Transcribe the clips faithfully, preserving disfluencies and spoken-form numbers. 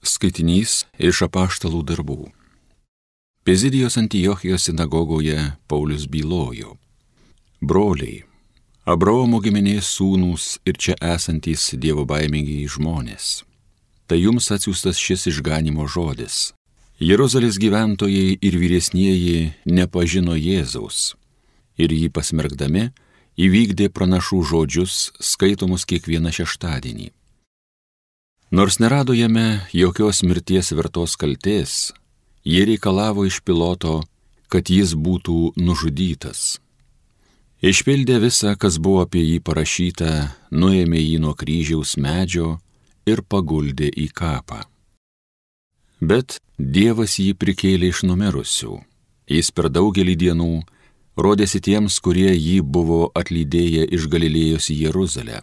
Skaitinys iš Apaštalų darbų. Pizidijos Antiochijos sinagogoje Paulius bylojo: Broliai, Abraomo giminės sūnūs ir čia esantys dievobaimingi žmonės, tai jums atsiųstas šis išganimo žodis. Jeruzalės gyventojai ir vyresnieji nepažino Jėzaus ir jį pasmerkdami įvykdė pranašų žodžius skaitomus kiekvieną šeštadienį. Nors nerado jame jokios mirties vertos kaltės, jie reikalavo iš Piloto, kad jis būtų nužudytas. Išpildė visą, kas buvo apie jį parašyta, nuėmė jį nuo kryžiaus medžio ir paguldė į kapą. Bet Dievas jį prikėlė iš numirusių. Jis per daugelį dienų rodėsi tiems, kurie jį buvo atlydėję iš Galilėjos į Jeruzalę.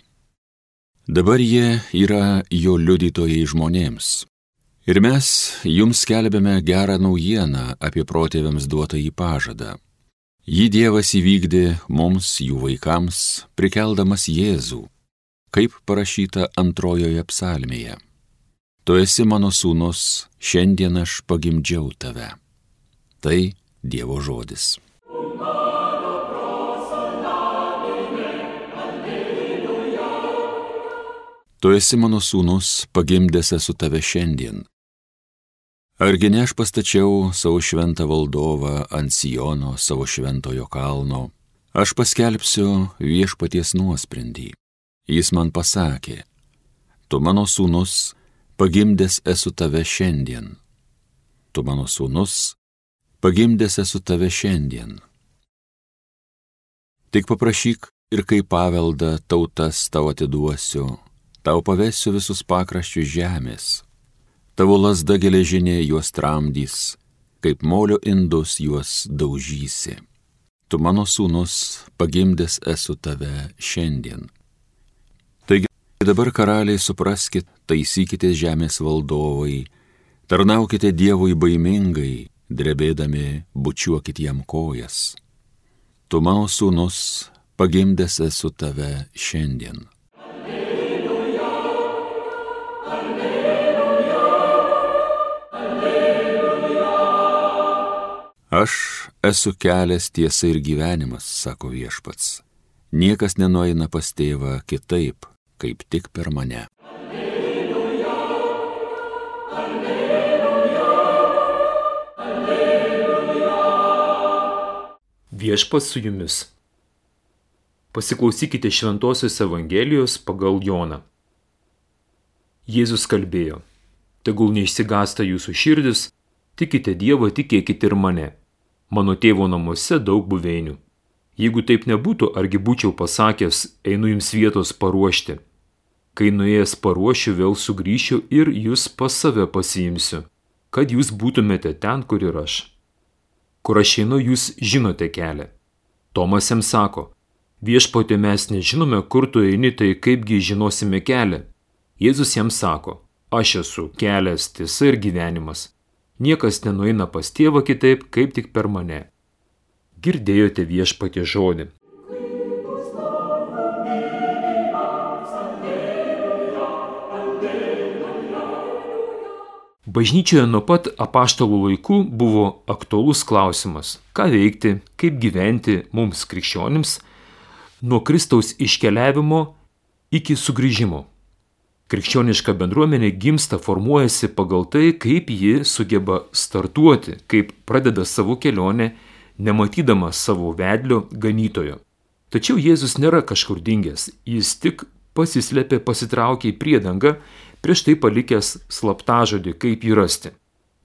Dabar jie yra jo liudytojai žmonėms. Ir mes jums skelbiame gerą naujieną apie protėviams duotą į pažadą. Jį Dievas įvykdė mums, jų vaikams, prikeldamas Jėzų, kaip parašyta antrojoje psalmėje. Tu esi mano sūnus, šiandien aš pagimdžiau tave. Tai Dievo žodis. Tu esi mano sūnus, pagimdęs esu tave šiandien. Argi ne aš pastačiau savo šventą valdovą ant Siono, savo šventojo kalno, aš paskelbsiu viešpaties nuosprendį. Jis man pasakė: tu mano sūnus, pagimdęs esu tave šiandien. Tu mano sūnus, pagimdęs esu tave šiandien. Tik paprašyk ir kaip paveldą tautas tau atiduosiu, tau pavesiu visus pakraščius žemės. Tavo lazda geležinė juos tramdys, kaip molio indus juos daužysi. Tu mano sūnus, pagimdęs esu tave šiandien. Taigi dabar karaliai supraskit, taisykite žemės valdovai, tarnaukite Dievui baimingai, drebėdami bučiuokit jam kojas. Tu mano sūnus, pagimdęs esu tave šiandien. Aš esu kelias, tiesa ir gyvenimas, sako viešpats. Niekas nenueina pas tėvą kitaip, kaip tik per mane. Alleluja, alleluja, alleluja. Viešpats su jumis. Pasiklausykite Šventosios Evangelijos pagal Joną. Jėzus kalbėjo: tegul neišsigąsta jūsų širdis, tikite Dievą, tikėkite ir mane. Mano tėvo namuose daug buveinių. Jeigu taip nebūtų, argi būčiau pasakęs, einu jums vietos paruošti. Kai nuėjęs paruošiu, vėl sugrįšiu ir jūs pas save pasiimsiu, kad jūs būtumėte ten, kur ir aš. Kur aš einu, jūs žinote kelią. Tomas jam sako: viešpatie, mes nežinome, kur tu eini, tai kaipgi žinosime kelią. Jėzus jam sako: aš esu kelias, tiesa ir gyvenimas. Niekas nenueina pas tėvą kitaip, kaip tik per mane. Girdėjote viešpatie žodį. Bažnyčioje nuo pat apaštalų laikų buvo aktualus klausimas, ką veikti, kaip gyventi mums krikščionims nuo Kristaus iškeliavimo iki sugrįžimo. Krikščioniška bendruomenė gimsta, formuojasi pagal tai, kaip ji sugeba startuoti, kaip pradeda savo kelionę, nematydama savo vedlio ganytojo. Tačiau Jėzus nėra kažkur dingęs, jis tik pasislėpė, pasitraukė į priedangą, prieš tai palikęs slaptažodį, kaip jį rasti.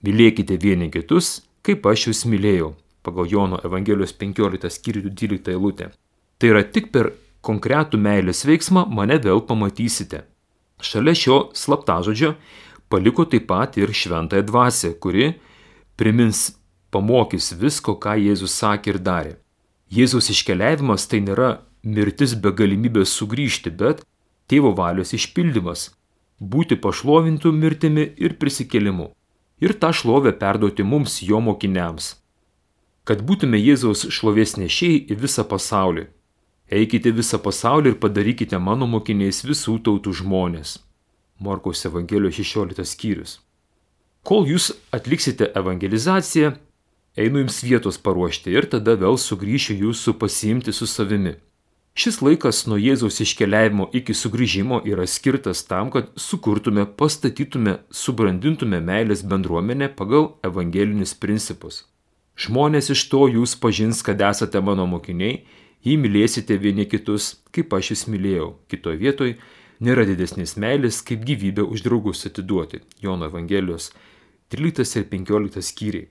Mylėkite vieni kitus, kaip aš jūs mylėjau, pagal Jono Evangelijos penkioliktą skyrių dvyliktą eilutę. Tai yra tik per konkretų meilės veiksmą mane vėl pamatysite. Šalia šio slaptažodžio paliko taip pat ir šventąją dvasią, kuri primins, pamokys visko, ką Jėzus sakė ir darė. Jėzaus iškeliavimas tai nėra mirtis be galimybės sugrįžti, bet tėvo valios išpildymas, būti pašlovintų mirtimi ir prisikėlimu. Ir tą šlovę perduoti mums, jo mokiniams. Kad būtume Jėzaus šlovės nešėjai į visą pasaulį. Eikite visą pasaulį ir padarykite mano mokiniais visų tautų žmonės. Morkaus Evangelijos šešioliktas skyrius. Kol jūs atliksite evangelizaciją, einu jums vietos paruošti ir tada vėl sugrįšiu jūsų pasiimti su savimi. Šis laikas nuo Jėzaus iškeliavimo iki sugrįžimo yra skirtas tam, kad sukurtume, pastatytume, subrandintume meilės bendruomenę pagal evangelinius principus. Žmonės iš to jūs pažins, kad esate mano mokiniai, jei mylėsite vieni kitus, kaip aš jūs mylėjau. Kitoje vietoje nėra didesnės meilės, kaip gyvybę už draugus atiduoti. Jono Evangelijos tryliktas ir penkioliktas skyriai.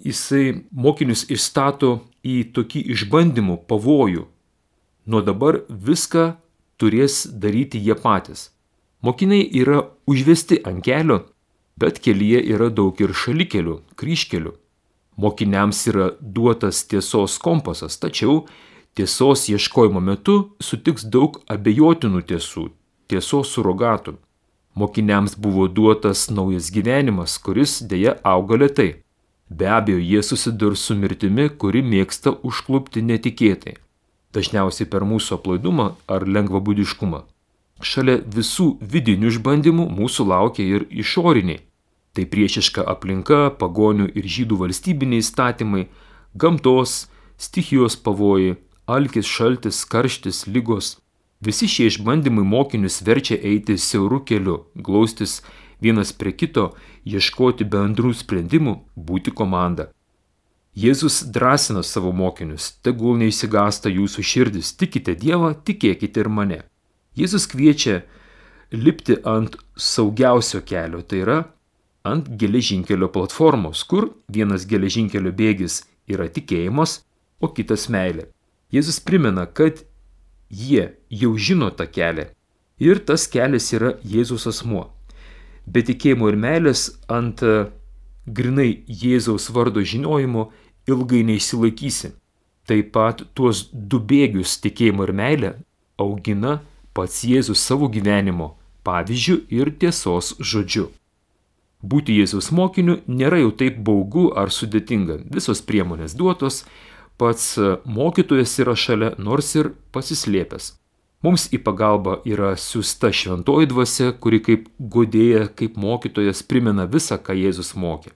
Jisai mokinius išstato į tokį išbandymų pavojų. Nuo dabar viską turės daryti jie patys. Mokiniai yra užvesti ant kelio, bet kelyje yra daug ir šalikelių, kryžkelių. Mokiniams yra duotas tiesos kompasas, tačiau tiesos ieškojimo metu sutiks daug abejotinų tiesų, tiesos surogatų. Mokiniams buvo duotas naujas gyvenimas, kuris dėja auga lėtai. Be abejo, jie susidurs su mirtimi, kuri mėgsta užklupti netikėtai. Dažniausiai per mūsų aplaidumą ar lengvabūdiškumą. Šalia visų vidinių išbandymų mūsų laukia ir išoriniai. Tai priešiška aplinka, pagonių ir žydų valstybiniai įstatymai, gamtos, stichijos pavojai, alkis, šaltis, karštis, ligos. Visi šie išbandymai mokinius verčia eiti siauru keliu, glaustis vienas prie kito, ieškoti bendrų sprendimų, būti komanda. Jėzus drąsina savo mokinius, tegul neišsigąsta jūsų širdis, tikite Dievą, tikėkite ir mane. Jėzus kviečia lipti ant saugiausio kelio, tai yra ant geležinkelio platformos, kur vienas geležinkelio bėgis yra tikėjimas, o kitas meilė. Jėzus primena, kad jie jau žino tą kelią ir tas kelias yra Jėzaus asmuo. Be tikėjimo ir meilės ant grinai Jėzaus vardo žinojimo ilgai neišsilaikysi. Taip pat tuos du bėgius tikėjimo ir meilę augina pats Jėzus savo gyvenimo pavyzdžiu ir tiesos žodžiu. Būti Jėzaus mokiniu nėra jau taip baugu ar sudėtinga. Visos priemonės duotos, pats mokytojas yra šalia, nors ir pasislėpęs. Mums į pagalbą yra siųsta šventoji dvasia, kuri kaip guodėja, kaip mokytojas primena visą, ką Jėzus mokė.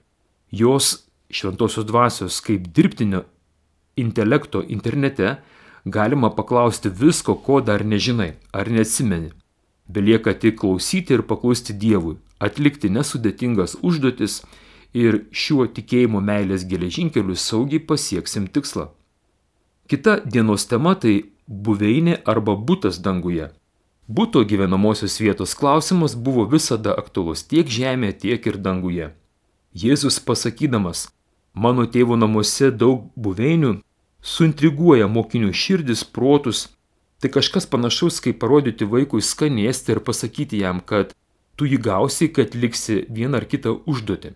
Jos šventosios dvasios kaip dirbtinio intelekto internete galima paklausti visko, ko dar nežinai ar neatsimeni. Belieka tik klausyti ir paklusti Dievui, atlikti nesudėtingas užduotis ir šiuo tikėjimo meilės geležinkeliu saugiai pasieksim tikslą. Kita dienos tema tai buveinė arba butas danguje. Buto gyvenamosios vietos klausimas buvo visada aktualus tiek žemėje, tiek ir danguje. Jėzus pasakydamas, mano tėvo namuose daug buveinių, suintriguoja mokinių širdis, protus. Tai kažkas panašaus, kaip parodyti vaikui skanėstį ir pasakyti jam, kad tu jį gausi, kad liksi vieną ar kitą užduotį.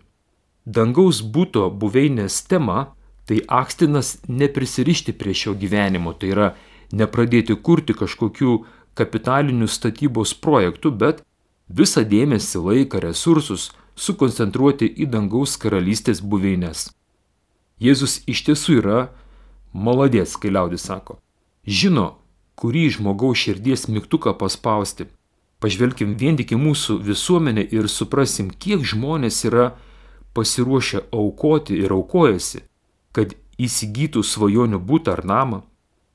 Dangaus buto buveinės tema tai akstinas neprisirišti prie šio gyvenimo, tai yra nepradėti kurti kažkokių kapitalinių statybos projektų, bet visą dėmesį, laiką, resursus sukoncentruoti į dangaus karalystės buveines. Jėzus iš tiesų yra maladės, kai liaudis sako. Žino, kurį žmogaus širdies mygtuką paspausti. Pažvelkim vien tik į mūsų visuomenę ir suprasim, kiek žmonės yra pasiruošę aukoti ir aukojasi, kad įsigytų svajonių butą ar namą.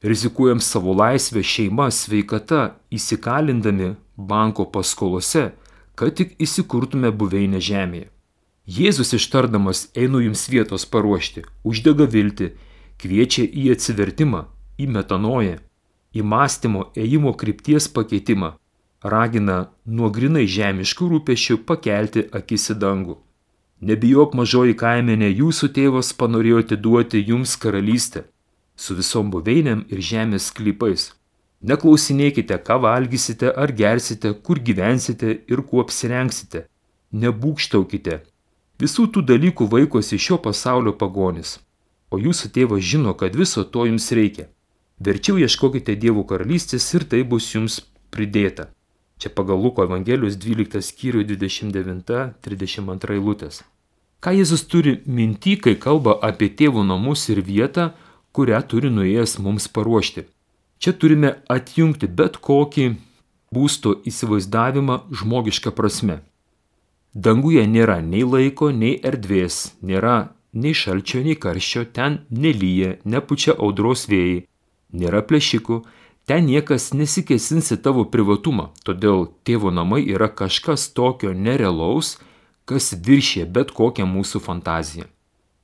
Rizikuojam savo laisvę, šeimą, sveikata, įsikalindami banko paskolose, kad tik įsikurtume buveinę žemėje. Jėzus ištardamas einu jums vietos paruošti, uždega viltį, kviečia į atsivertimą, į metanoją, į mąstymo ėjimo krypties pakeitimą, ragina nuo grinai žemiškų rūpesčių pakelti akis į dangų. Nebijok mažoji kaimenė, jūsų tėvas panorėjo atiduoti jums karalystę, su visom buveinėm ir žemės sklypais. Neklausinėkite, ką valgysite ar gersite, kur gyvensite ir kuo apsirengsite. Nebūkštaukite. Visų tų dalykų vaikosi šio pasaulio pagonis. O jūsų tėvas žino, kad viso to jums reikia. Verčiau ieškokite Dievo karalystės ir tai bus jums pridėta. Čia pagal Luko Evangelijos dvyliktas skyrių dvidešimt devinta trisdešimt antra eilutės. Ką Jėzus turi minty, kai kalba apie tėvo namus ir vietą, kurią turi nuėjęs mums paruošti? Čia turime atjungti bet kokį būsto įsivaizdavimą žmogišką prasme. Danguje nėra nei laiko, nei erdvės, nėra nei šalčio, nei karščio, ten nelyja, nepučia audros vėjai, nėra plėšikų, ten niekas nesikėsins į tavo privatumą, todėl tėvo namai yra kažkas tokio nerealaus, kas viršė bet kokią mūsų fantaziją.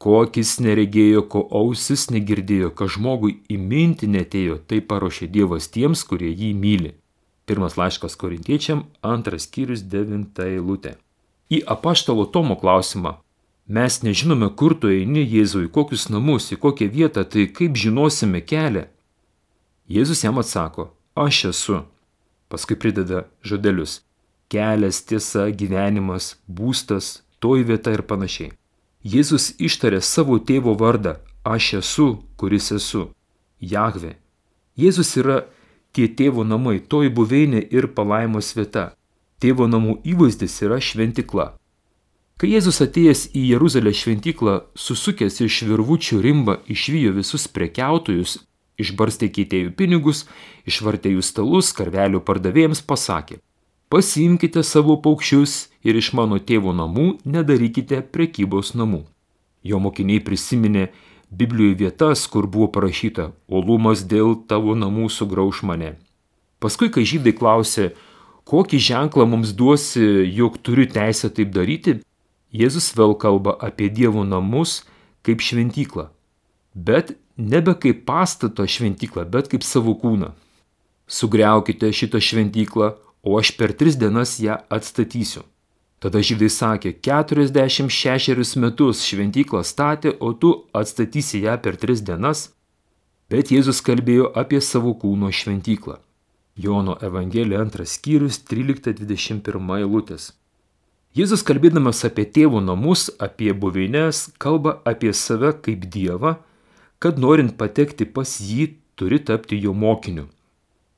Ko akis neregėjo, ko ausis negirdėjo, ką žmogui į mintį netėjo, tai paruošė Dievas tiems, kurie jį myli. Pirmas laiškas Korintiečiam, antras skyrius, devinta eilutė. Į apaštalo Tomo klausimą, mes nežinome, kur tu eini, Jėzui, kokius namus, į kokią vietą, tai kaip žinosime kelią? Jėzus jam atsako, aš esu. Paskui prideda žodelius, kelias, tiesa, gyvenimas, būstas, toji vieta ir panašiai. Jėzus ištarė savo tėvo vardą, aš esu, kuris esu, Jahve. Jėzus yra tie tėvo namai, toji buveinė ir palaimos vieta. Tėvo namų įvaizdis yra šventikla. Kai Jėzus atėjęs į Jeruzalės šventyklą, susukęs iš virvučių rimbą, išvijo visus prekiautojus, išbarstė keitėjų pinigus, išvartė jų stalus, karvelių pardavėjams pasakė, pasiimkite savo paukščius ir iš mano tėvo namų nedarykite prekybos namų. Jo mokiniai prisiminė Biblijoje vietas, kur buvo parašyta, uolumas dėl tavo namų sugrauš mane. Paskui, kai žydai klausė, kokį ženklą mums duosi, jog turiu teisę taip daryti, Jėzus vėl kalba apie Dievo namus kaip šventyklą, bet nebe kaip pastato šventyklą, bet kaip savo kūną. Sugriaukite šitą šventyklą, o aš per tris dienas ją atstatysiu. Tada žydai sakė, keturiasdešimt šešerius metus šventyklą statė, o tu atstatysi ją per tris dienas, bet Jėzus kalbėjo apie savo kūno šventyklą. Jono Evangelija antras skyrius, trylikta dvidešimt pirma eilutės. Jėzus kalbėdamas apie tėvo namus, apie buveines, kalba apie save kaip Dievą, kad norint patekti pas jį, turi tapti jo mokiniu.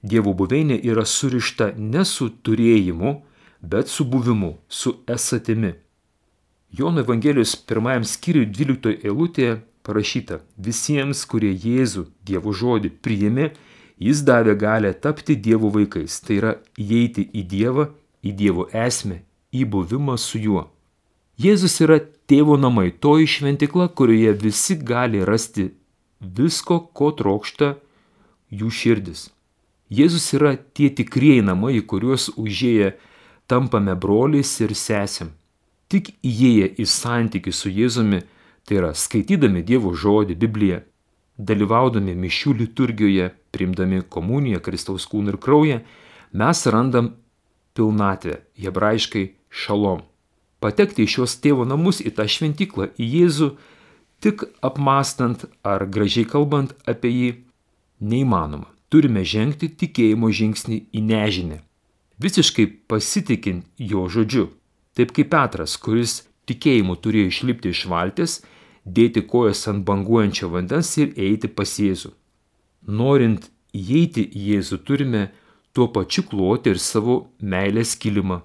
Dievo buveinė yra surišta ne su turėjimu, bet su buvimu, su esatimi. Jono Evangelijos pirmajam skyriui dvyliktoje eilutėje parašyta, visiems, kurie Jėzų, Dievo žodį, priėmė, jis davė galią tapti Dievo vaikais, tai yra įeiti į Dievą, į Dievo esmę, į buvimą su juo. Jėzus yra tėvo namai, toji šventikla, kurioje visi gali rasti visko, ko trokšta jų širdis. Jėzus yra tie tikrieji namai, į kuriuos užėję tampame broliais ir sesėm. Tik įėję į santykį su Jėzumi, tai yra skaitydami Dievo žodį, Bibliją, dalyvaudami mišių liturgijoje, priimdami komuniją, Kristaus kūną ir kraują, mes randam pilnatvę, hebrajiškai šalom. Patekti į šios tėvo namus, į tą šventyklą, į Jėzų, tik apmastant ar gražiai kalbant apie jį, neįmanoma. Turime žengti tikėjimo žingsnį į nežinę, visiškai pasitikint jo žodžiu, taip kaip Petras, kuris tikėjimu turėjo išlipti iš valties, dėti kojas ant banguojančio vandens ir eiti pas Jėzų. Norint įeiti į Jėzų, turime tuo pačiu kloti ir savo meilės kilimą,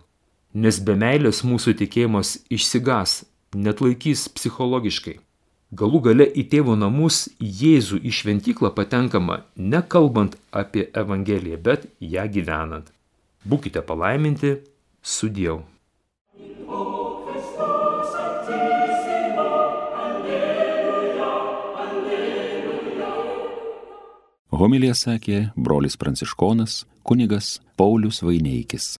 nes be meilės mūsų tikėjimas išsigas, net laikys psichologiškai. Galų gale į tėvo namus Jėzų į šventyklą patenkama ne kalbant apie Evangeliją, bet ją gyvenant. Būkite palaiminti, sudieu. Homiliją sakė brolis pranciškonas kunigas Paulius Vaineikis.